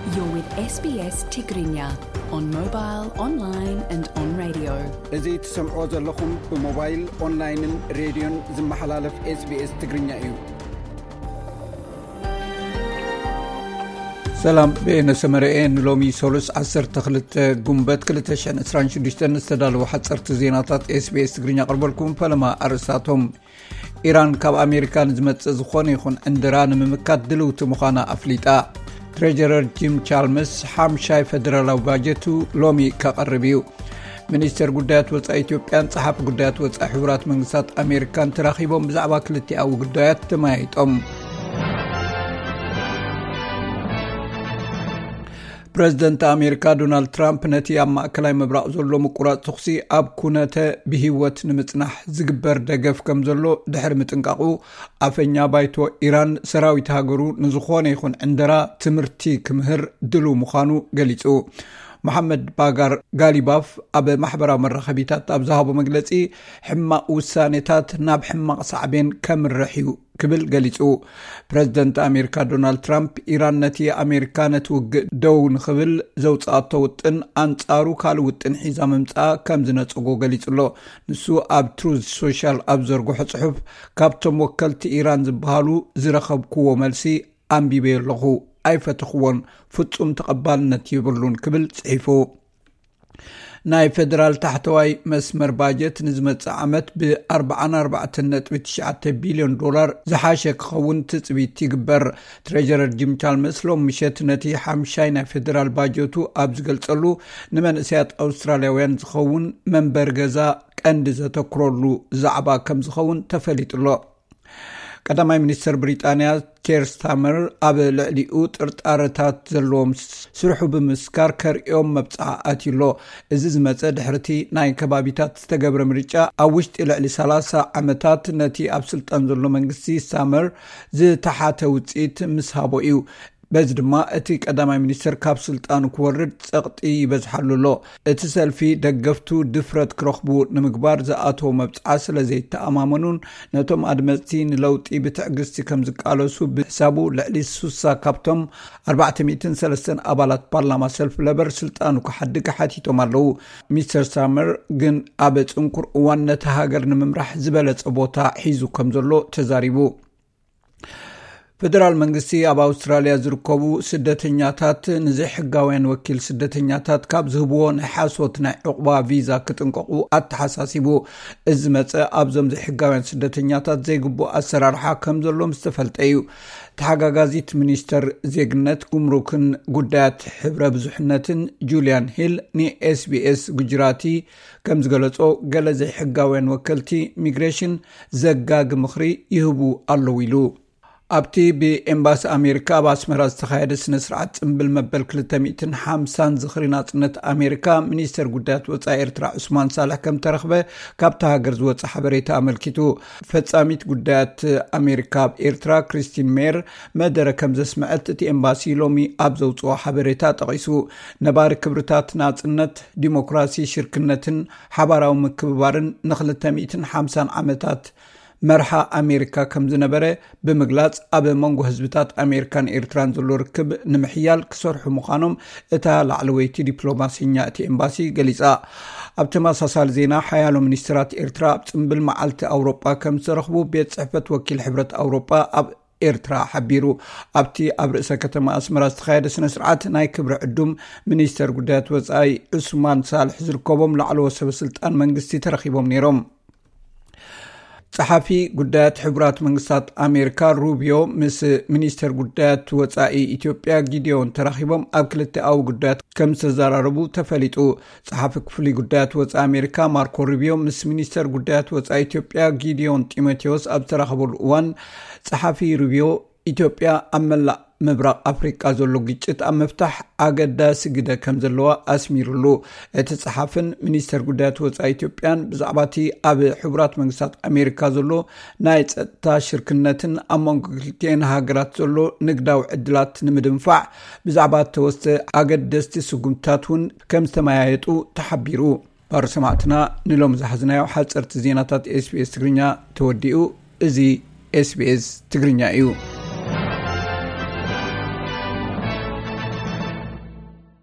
You're with S B S Tigrinya on mobile, online and on radio. እዚ ትሰምዕዎ ዘለኹም ብሞባይል፣ ኦንላይንን ሬድዮን ዝመሓላለፍ SBS ትግርኛ እዩ። ሰላም፣ በየነ ሰመረኤ። ንሎሚ ሰሉስ ዓሰርተ ክልተ ጉንበት ክልተ ሽሕን ዕስራን ሽዱሽተን ዝተዳለዉ ሓፀርቲ ዜናታት SBS ትግርኛ ኣቕርበልኩም። ፈለማ ኣርእስታቶም። ኢራን ካብ ኣሜሪካ ንዝመጽእ ዝኾነ ይኹን ዕንድራ ንምምካት ድልውቲ ምዃና ኣፍሊጣ። ትሬጀረር ጂም ቻልመስ ሓምሻይ ፈደራላዊ ባጀቱ ሎሚ ከቕርብ እዩ። ሚኒስተር ጉዳያት ወጻኢ ኢትዮጵያን ጸሓፊ ጉዳያት ወጻኢ ሕቡራት መንግስታት ኣሜሪካን ተራኺቦም ብዛዕባ ክልቲኣዊ ጉዳያት ተመያይጦም። ፕረዚደንት ኣሜሪካ ዶናልድ ትራምፕ ነቲ ኣብ ማእከላይ ምብራቕ ዘሎ ምቁራጽ ተኹሲ ኣብ ኩነተ ብህይወት ንምጽናሕ ዝግበር ደገፍ ከም ዘሎ ድሕሪ ምጥንቃቑ፣ ኣፈኛ ባይቶ ኢራን ሰራዊት ሃገሩ ንዝኾነ ይኹን ዕንደራ ትምህርቲ ክምህር ድሉው ምዃኑ ገሊጹ። መሓመድ ባጋር ጋሊባፍ ኣብ ማሕበራዊ መራኸቢታት ኣብ ዝሃቦ መግለጺ፣ ሕማቕ ውሳኔታት ናብ ሕማቕ ሳዕቤን ከምርሕ እዩ ክብል ገሊጹ። ፕረዚደንት ኣሜሪካ ዶናልድ ትራምፕ፣ ኢራን ነቲ ኣሜሪካ ነቲ ውግእ ደው ንኽብል ዘውጽኣቶ ውጥን ኣንጻሩ ካልእ ውጥን ሒዛ ምምጻኣ ከም ዝነጸጎ ገሊጹ ኣሎ። ንሱ ኣብ ትሩዝ ሶሻል ኣብ ዘርግሖ ጽሑፍ፣ ካብቶም ወከልቲ ኢራን ዝበሃሉ ዝረኸብክዎ መልሲ ኣንቢበዮ ኣለኹ፣ ኣይፈተኽዎን፣ ፍጹም ተቐባልነት የብሉን ክብል ጽሒፉ። ናይ ፌደራል ታሕተዋይ መስመር ባጀት ንዝመጽእ ዓመት ብ ኣርባዓን ኣርባዕተን ነጥቢ ትሽዓተ ቢልዮን ዶላር ዝሓሸ ክኸውን ትጽቢት ይግበር። ትሬጀረር ጂም ቻልመስ ሎም ምሸት ነቲ ሓምሻይ ናይ ፌደራል ባጀቱ ኣብ ዝገልጸሉ፣ ንመንእሰያት ኣውስትራልያውያን ዝኸውን መንበሪ ገዛ ቀንዲ ዘተኩረሉ ዛዕባ ከም ዝኸውን ተፈሊጡ ኣሎ። ቀዳማይ ሚኒስተር ብሪጣንያ ኬር ስታመር፣ ኣብ ልዕሊኡ ጥርጣረታት ዘለዎም ስርሑ ብምስካር ከርእዮም መብጽዓ ኣትዩ ኣሎ። እዚ ዝመጸ ድሕርቲ ናይ ከባቢታት ዝተገብረ ምርጫ፣ ኣብ ውሽጢ ልዕሊ ሰላሳ ዓመታት ነቲ ኣብ ስልጣን ዘሎ መንግስቲ ስታመር ዝተሓተ ውጽኢት ምስ ሃቦ እዩ። በዚ ድማ እቲ ቀዳማይ ሚኒስተር ካብ ስልጣኑ ክወርድ ጸቕጢ ይበዝሓሉ ኣሎ። እቲ ሰልፊ ደገፍቱ ድፍረት ክረኽቡ ንምግባር ዝኣተዎ መብጽዓ ስለ ዘይተኣማመኑን፣ ነቶም ኣድመጽቲ ንለውጢ ብትዕግስቲ ከም ዝቃለሱ ብሕሳቡ፣ ልዕሊ ሱሳ ካብቶም ኣርባዕተ ሚእትን ሰለስተን ኣባላት ፓርላማ ሰልፊ ለበር ስልጣኑ ክሓድግ ሓቲቶም ኣለዉ። ሚስተር ሳመር ግን ኣብ ጽንኩር እዋን ነቲ ሃገር ንምምራሕ ዝበለጸ ቦታ ሒዙ ከም ዘሎ ተዛሪቡ። ፈደራል መንግስቲ ኣብ ኣውስትራልያ ዝርከቡ ስደተኛታት ንዘይሕጋውያን ወኪል ስደተኛታት ካብ ዝህብዎ ናይ ሓሶት ናይ ዕቑባ ቪዛ ክጥንቀቑ ኣተሓሳሲቡ። እዚ መጸ ኣብዞም ዘይሕጋውያን ስደተኛታት ዘይግቡእ ኣሰራርሓ ከም ዘሎ ምስ ተፈልጠ እዩ። ተሓጋጋዚት ሚኒስተር ዜግነት፣ ጉምሩክን ጉዳያት ሕብረ ብዙሕነትን ጁልያን ሂል ንኤስቢኤስ ጉጅራቲ ከም ዝገለጾ፣ ገለ ዘይሕጋውያን ወከልቲ ሚግሬሽን ዘጋጊ ምኽሪ ይህቡ ኣለዉ ኢሉ። ኣብቲ ብኤምባሲ ኣሜሪካ ኣብ ኣስመራ ዝተኻየደ ስነ ስርዓት ጽምብል መበል ክልተ ሚእትን ሓምሳን ዝኽሪ ናጽነት ኣሜሪካ፣ ሚኒስተር ጉዳያት ወጻኢ ኤርትራ ዑስማን ሳልሕ ከም ተረኽበ ካብታ ሃገር ዝወጸ ሓበሬታ ኣመልኪቱ። ፈጻሚት ጉዳያት ኣሜሪካ ኣብ ኤርትራ ክሪስቲን ሜየር መደረ ከም ዘስምዐት እቲ ኤምባሲ ሎሚ ኣብ ዘውጽኦ ሓበሬታ ጠቒሱ። ነባሪ ክብርታት ናጽነት፣ ዲሞክራሲ፣ ሽርክነትን ሓባራዊ ምክብባርን ንክልተ ሚእትን ሓምሳን ዓመታት መርሓ ኣሜሪካ ከም ዝነበረ ብምግላጽ፣ ኣብ መንጎ ህዝብታት ኣሜሪካን ኤርትራን ዘሎ ርክብ ንምሕያል ክሰርሑ ምዃኖም እታ ላዕለወይቲ ዲፕሎማሰኛ እቲ ኤምባሲ ገሊጻ። ኣብ ተመሳሳሊ ዜና፣ ሓያሎ ሚኒስትራት ኤርትራ ኣብ ጽምብል መዓልቲ ኣውሮጳ ከም ዝተረኽቡ ቤት ጽሕፈት ወኪል ሕብረት ኣውሮጳ ኣብ ኤርትራ ሓቢሩ። ኣብቲ ኣብ ርእሰ ከተማ ኣስመራ ዝተኻየደ ስነ ስርዓት፣ ናይ ክብሪ ዕዱም ሚኒስተር ጉዳያት ወጻኢ ዑስማን ሳልሕ ዝርከቦም ላዕለዎት ሰበ ስልጣን መንግስቲ ተረኺቦም ነይሮም። ጸሓፊ ጉዳያት ሕቡራት መንግስታት ኣሜሪካ ሩቢዮ ምስ ሚኒስተር ጉዳያት ወጻኢ ኢትዮጵያ ጊዲዮን ተራኺቦም ኣብ ክልተኣዊ ጉዳያት ከም ዝተዘራረቡ ተፈሊጡ። ጸሓፊ ክፍሊ ጉዳያት ወጻኢ ኣሜሪካ ማርኮ ሩቢዮ ምስ ሚኒስተር ጉዳያት ወጻኢ ኢትዮጵያ ጊዲዮን ጢሞቴዎስ ኣብ ዝተራኸበሉ እዋን፣ ጸሓፊ ሩቢዮ፣ ኢትዮጵያ ኣብ መላእ ምብራቕ ኣፍሪቃ ዘሎ ግጭት ኣብ ምፍታሕ ኣገዳሲ ግደ ከም ዘለዋ ኣስሚሩሉ። እቲ ጸሓፍን ሚኒስተር ጉዳያት ወጻኢ ኢትዮጵያን ብዛዕባ እቲ ኣብ ሕቡራት መንግስታት ኣሜሪካ ዘሎ ናይ ጸጥታ ሽርክነትን ኣብ መንጎ ክልቲኤን ሃገራት ዘሎ ንግዳዊ ዕድላት ንምድንፋዕ ብዛዕባ እተወስደ ኣገደስቲ ስጉምትታት እውን ከም ዝተመያየጡ ተሓቢሩ። ባር ሰማዕትና፣ ንሎም ዝሓዝናዮ ሓጸርቲ ዜናታት ኤስቢኤስ ትግርኛ ተወዲኡ። እዚ ኤስቢኤስ ትግርኛ እዩ።